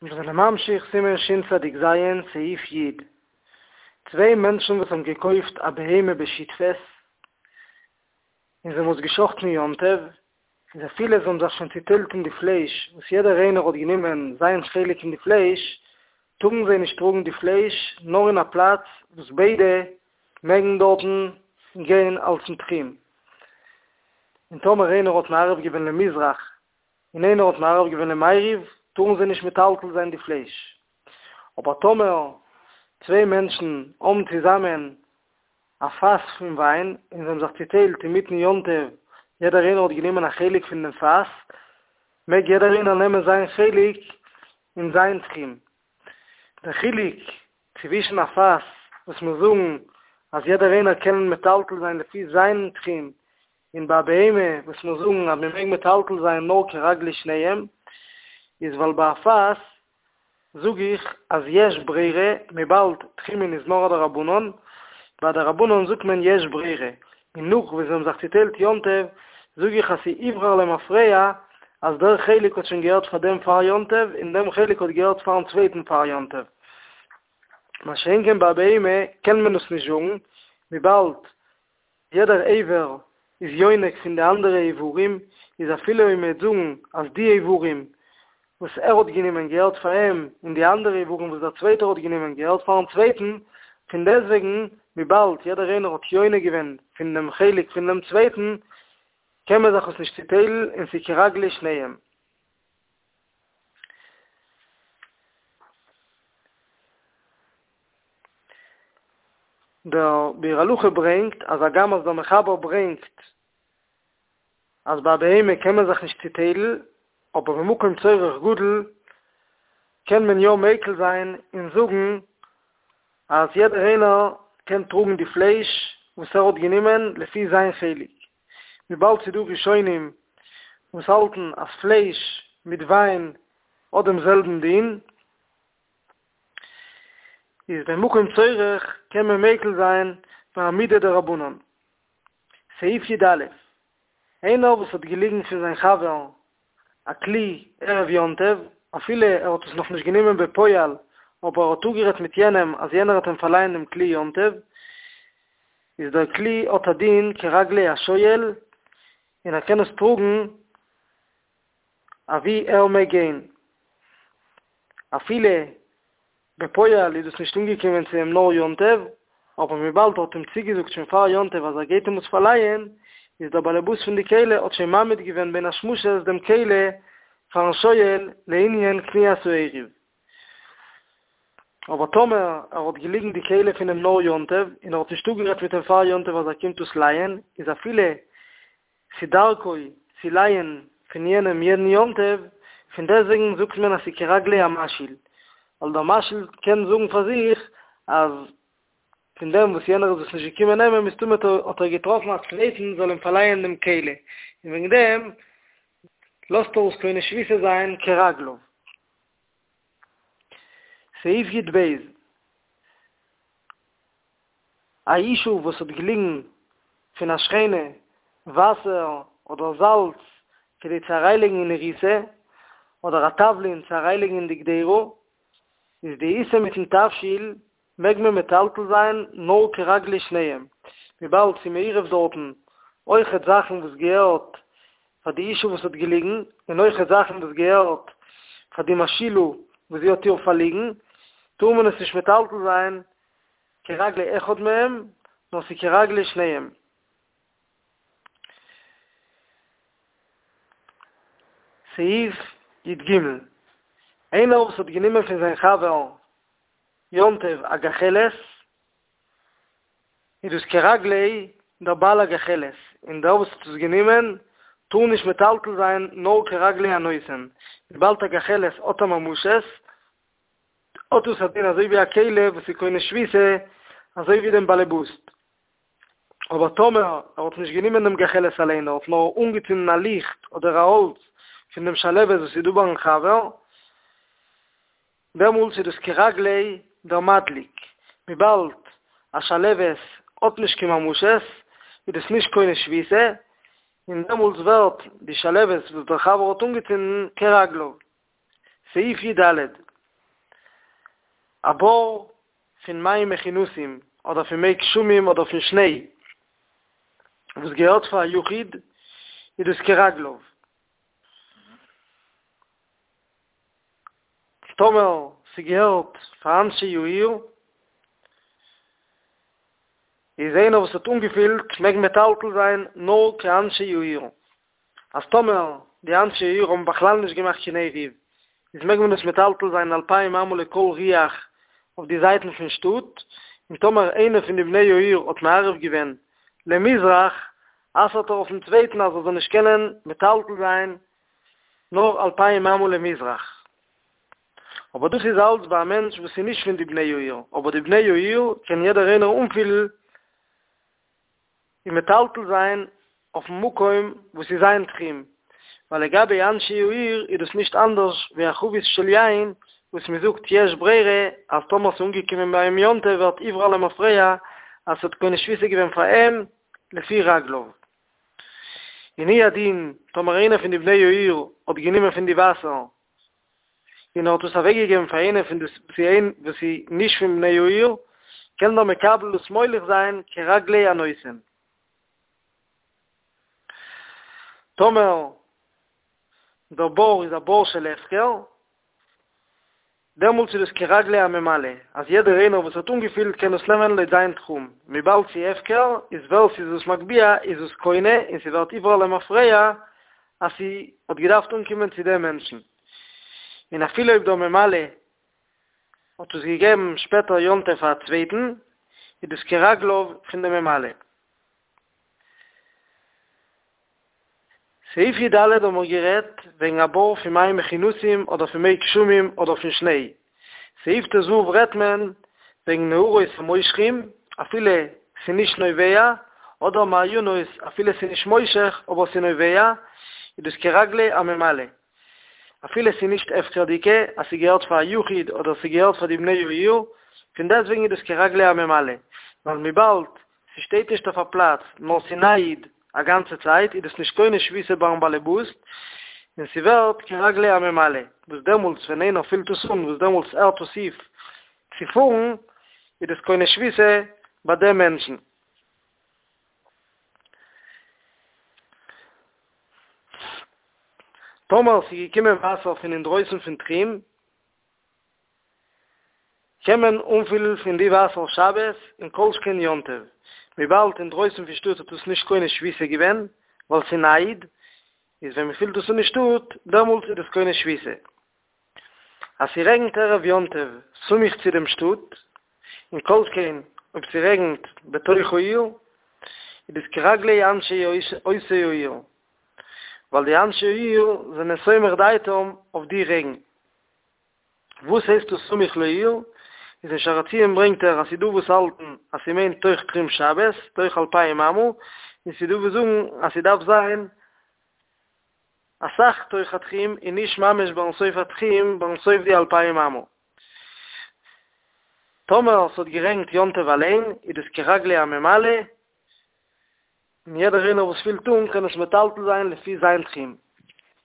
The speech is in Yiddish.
מיר זענען ממשיך סימן שצ"ז סעיף י'. צוויי מענטשן וואס האבן געקויפט א בהמה בשותפות, און זיי האבן עס געשחט'ן יום טוב, איז אפילו זיי האבן זיך שוין צוטיילט אין די פלייש, וואס יעדער איינער האט גענומען זיין חלק אין די פלייש, טארן זיי נישט טראגן די פלייש נאר אין א פלאץ וואס ביידע מעגן דארטן גיין אלס'ן תחום. און טאמער איינער האט מערב געווען למזרח און איינער האט מערב געווען למעריב, טארן זיי נישט מטלטל זיין די פלייש. אבער טאמער צוויי מענטשן האבן צוזאמען א פאס פון וויין, און זיי האבן זיך צוטיילט אינמיטן יום טוב, יעדער איינער האט גענומען א חלק פון דעם פאס, מעג יעדער איינער נעמען זיין חלק אין זיין תחום. דער חילוק צווישן א פאס וואס מיר זאגן אז יעדער איינער קען מטלטל זיין לפי זיין תחום, און ביי א בהמה וואס מיר זאגן אז מען מעג מטלטל זיין נאר כרגלי שניהם, איז ווייל ביי א פאס זאג איך אז יש ברירה, וויבאלד תחומין איז נאר א דרבנן, ביי דרבנן זאגט מען יש ברירה, און נאך וואס זיי האבן זיך צוטיילט יום טוב, זאג איך אז ס'איבחר למפרע אז דער חלק האט שוין געהערט פאר דעם פאר יום טוב און דעם חלק האט געהערט פארן צווייטן פאר יום טוב. מה שאין כן ביי א בהמה קען מען עס נישט זאגן, וויבאלד יעדער איבר איז יונק פון די אנדערע איברים, איז אפילו אויב מ'וועט זאגן אז די איברים וואס ער האט גענומען געהערט פאר אים און די אנדערע איברים וואס דער צווייטער האט גענומען געהערט פארן צווייטן, פון דעסטוועגן וויבאלד יעדער איינער האט יונק געווען פון דעם חלק פון דעם צווייטן, קען מען זיך עס נישט צוטיילן און ס'איז כרגלי שניהם. דער ביאור הלכה ברענגט אז הגם אז דער מחבר ברענגט אז ביי א בהמה קען מען זיך נישט צוטיילן, אבער במקום צורך גדול קען מען יא מיקל זיין און זאגן אז יעדער איינער קען טראגן די פלייש וואס ער האט גענומען לפי זיין חלק, וויבאלד ס'איז דא ראשונים וואס האלטן אז פלייש מיט וויין האט דעם זעלבן דין. איז במקום צורך קען מען מיקל זיין פאר א מידי דרבנן. סעיף י"א, איינער וואס האט געליגן פון זיין חבר א כלי ערב יום טוב, אפילו ער האט עס נאכנישט גענומען בפועל, אבער ער האט אפגערעדט מיט יענעם אז יענער וועט אים פארלייען דעם כלי יום טוב, איז דער כלי האט א דין כרגלי השואל, און ער קען עס טראגן אוואו ער מעג גיין. אפילו בפועל איז דאס נישט אנגעקומען צו אים נאר יום טוב, אבער וויבאלד ער האט אים צוגעזאגט שוין פאר יום טוב אז ער גייט אים עס פארלייען, איז דער באלעבאס פון די כלי האט שוין מעמיד געווען בין השמשות דעם כלי פארן שואל לענין קניית העירוב. אבער טאמער ער האט געליגן די כלי פון אים נאר יום טוב, און ער האט נישט אפגערעדט מיט אים פאר יום טוב אז ער קומט עס לייען, איז אפילו ס'דרכו צו לייען פון יענעם יעדן יום טוב, פון דעסטוועגן זאגט מען אז ס'איז כרגלי המשאיל, ווייל דער משאיל קען זאגן פאר זיך אז פון דעם וואס יענער איז עס נישט געקומען נעמען מסתמא האט ער געטראפן א צווייטן זאל אים פארלייען דעם כלי, און וועגן דעם לאזט ער עס קונה שביתה זיין כרגליו. סעיף י"ב. א אשה וואס האט געליגן פון א שכנה וואסער אדער זאלץ כדי צו אריינלייגן אין איר עיסה, אדער א תבלין צו אריינלייגן אין די קדירה, איז די עיסה מיטן תבשיל מעג מען מטלטל זיין נאר כרגלי שניהם, וויבאלד ס'איז מעורב דארטן אויכעט זאכן וואס געהערט פאר די אשה וואס האט געליגן, און אויכעט זאכן וואס געהערט פאר די משאילה וואס זי האט איר פארליגן, טאר מען עס נישט מטלטל זיין כרגלי אחד מהם, נאר ס'איז כרגלי שניהם. סעיף י"ג, איינער וואס האט גענומען פון זיין חבר יום טוב א גחלת, איז דאס כרגלי דער בעל הגחלת, און דער וואס האט עס גענומען טאר נישט מטלטל זיין נאר כרגלי הנותן, וויבאלד א גחלת האט א ממשות, האט דאס א דין אזוי ווי א כלי וואס איז קונה שביתה אזוי ווי דעם באלעבאסט. אבער טאמער ער האט נישט גענומען דעם גחלת אליין, ער האט נאר אנגעצינדן א ליכט אדער א האלץ פון דעם שלהבת וואס איז דא ביים חבר, דעמאלטס איז דאס כרגלי דער מדליק, וויבאלד א שלהבת האט נישט קיין ממשות, איז דאס נישט קונה שביתה, און דעמאלטס ווערט די שלהבת וואס דער חבר האט אנגעצינדן כרגליו. סעיף י"ד. א בור פון מים מכונסים אדער פון מי גשמים אדער פון שניי וואס געהערט פאר א יחיד איז דאס כרגליו. טאמער ס'געהערט פאר אנשי העיר איז איינער וואס האט אנגעפילט מעג מטלטל זיין נאר כאנשי העיר. אז טאמער די אנשי העיר האבן בכלל נישט געמאכט קיין עירוב, איז מעג מען עס מטלטל זיין אלפיים אמה לכל רוח אויף די זייטן פון שטאט, און טאמער איינער פון די בני העיר האט מערב געווען למזרח, אסר'ט ער אויפן צווייטן אז ער זאל נישט קענען מטלטל זיין נאר אלפיים אמה למזרח. אבער דאס איז אלץ ביי א מענטש וואס איז נישט פון די בני העיר, אבער די בני העיר קען יעדער איינער אנפילן און מטלטל זיין אויפן מקום וואס איז זיין תחום, ווייל לגבי אנשי העיר איז דאס נישט אנדערש ווי א חבית של יין וואס מען זאגט יש ברירה אז טאמער ס'איז אנגעקומען ביי אים יום טוב ווערט עובר למפרע אז ס'האט קונה שביתה געווען פאר אים לפי רגליו. און הוא הדין טאמער איינער פון די בני העיר האט גענומען פון די וואסער און ער האט עס אוועקגעגעבן פאר איינער פון די וואס איז נישט פון בני העיר, קען דער מקבל דאס מוליך זיין כרגלי הנותן. טאמער דער בור איז א בור של הפקר, דעמאלטס איז דאס כרגלי הממלא, אז יעדער איינער וואס האט אנגעפילט קען עס נעמען לויט זיין תחום, וויבאלד ס'איז הפקר, איז ווער ס'איז עס מגביה איז עס קונה און ס'ווערט עובר למפרע אז ס'האט געדארפט אנקומען צו דעם מענטשן. און אפילו אויב דער ממלא האט עס געגעבן שפעטער יום טוב פאר א צווייטן, איז דאס כרגליו פון דעם ממלא. סעיף י ד האבן מיר גערעדט וועגן א בור פון מים מכונסים אדער פון מי גשמים אדער פון שניי. סעיף ט ו רעדט מען וועגן נהרות המושכים אפילו ס'נישט נובע, אדער מעיינות אפילו ס'נישט מושך אבער ס'נובע, איז דאס כרגלי הממלא. אפילו ס'נישט הפקר'דיגע, אז ס'געהערט פאר א יחיד אדער ס'געהערט פאר די בני העיר, פון דעסטוועגן איז דאס כרגלי הממלא, ווייל וויבאלד ס'שטייט נישט אויף א פלאץ, נאר ס'נייד א גאנצע צייט, איז דאס נישט קונה שביתה ביים באלעבאס, און ס'ווערט כרגלי הממלא, וואס דעמאלטס ווען איינער פילט עס אן, וואס דעמאלטס הערט עס אויף צו פארן, איז דאס קונה שביתה ביי דעם מענטשן. טאמער ס'איז געקומען וואסער פון אינדרויסן פון תחום, קען מען אנפילן פון די וואסער שבת און כל שכן יום טוב, וויבאלד אינדרויסן פון שטאט האט עס נישט קונה שביתה געווען, ווייל ס'נייד, איז ווען מ'פילט עס אן אין שטאט, דעמאלטס איז דאס קונה שביתה. אז ס'רעגנט ערב יום טוב סמוך צו דעם שטאט, און כל שכן אויב ס'רעגנט בתוך העיר, איז דאס כרגלי אנשי אותה העיר, ווייל די אנשי העיר זענען סומך דעתם אויף די רעגן. וואס הייסט דאס סמוך לעיר? איז אין שער הציון ברענגט ער אז ס'דא וואס האלטן אז ס'מיינט תוך תחום שבת, תוך אלפיים אמה, און ס'דא וואס זאגן אז ס'דארף זיין אסאך תוך התחום און נישט ממש ביים סוף התחום, ביים סוף די אלפיים אמה. טאמער ס'האט גערעגנט יום טוב אליין איז דאס כרגלי הממלא, און יעדער איינער וואס פילט אן קען עס מטלטל זיין לפי זיין תחום.